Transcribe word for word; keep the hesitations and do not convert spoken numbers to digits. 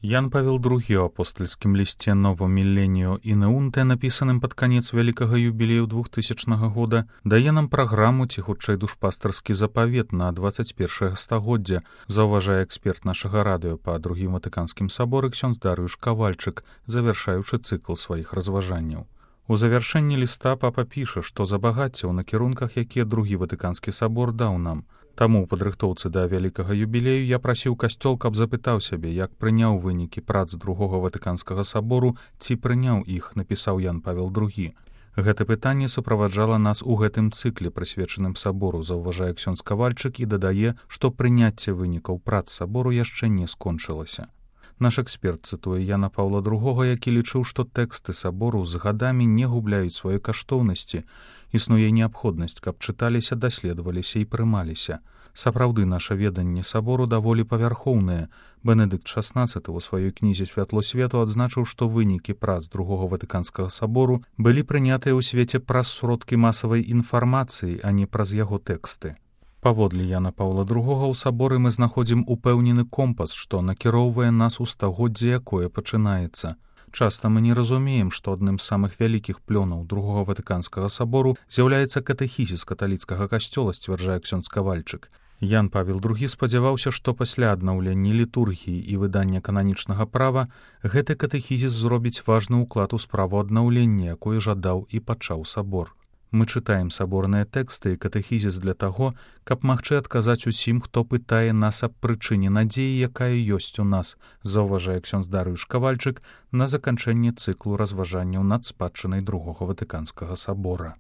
Ян Павел другі ў апостальскім лісце Novo Millennio Ineunte, напісаным пад канец вялікага юбілею двухтысячнага года, дае нам праграму ці хутчэй душпастарскі запавет на дваццаць першае стагоддзя, заўважае эксперт нашага радыё па другім ватыканскім саборы ксёндз Дарыюш Кавальчык, завяршаючы цыкл сваіх разважанняў. У завяршэнні ліста папа піша, што забагацце ў накірунках, якія другі ватыканскі сабор даў нам. Таму ў падрыхтоўцы да вялікага юбілею я прасіў касцёл, каб запытаў сябе, як прыняў вынікі прац другога ватыканскага сабору, ці прыняў іх, напісаў Ян Павел другі. Гэта пытанне суправаджала нас у гэтым цыкле, прысвечаным сабору, заўважае ксёндз Кавальчык і дадае, што прыняцце вынікаў прац сабору яшчэ не скончылася. Наш эксперт цытуе Яна Паўла другога, які лічыў, што тэксты сабору з гадамі не губляюць сваёй каштоўнасці. Існуе неабходнасць, каб чыталіся, даследаваліся і прымаліся. Сапраўды, наша веданне сабору даволі павярхоўнае. Бенедыкт шаснаццаты ў сваёй кнізе «Святло свету» адзначыў, што вынікі прац другога ватыканскага сабору былі прынятыя ў свеце праз сродкі масавай інфармацыі, а не праз яго тэксты. Паводле Яна Паўла другога ў саборы мы знаходзім упэўнены компас, што накіроўвае нас у стагоддзе, якое пачынаецца. Часта мы не разумеем, што адным з самых вялікіх плёнаў другога ватыканскага сабору з'яўляецца катэхізіс каталіцкага касцёла, сцвярджае ксёндз Кавальчык. Ян Павел другі спадзяваўся, што пасля аднаўлення літургіі і выдання кананічнага права гэты катэхізіс зробіць важны ўклад у справу аднаўлення, якое жадаў і пачаў сабор. Мы чытаем саборныя тэксты і катэхізіс для таго, каб магчы адказаць усім, хто пытае нас аб прычыне надзеі, якая ёсць у нас, заўважае ксёндз Дарыюш Кавальчык на заканчэнні цыклу разважанняў над спадчынай другога ватыканскага сабора.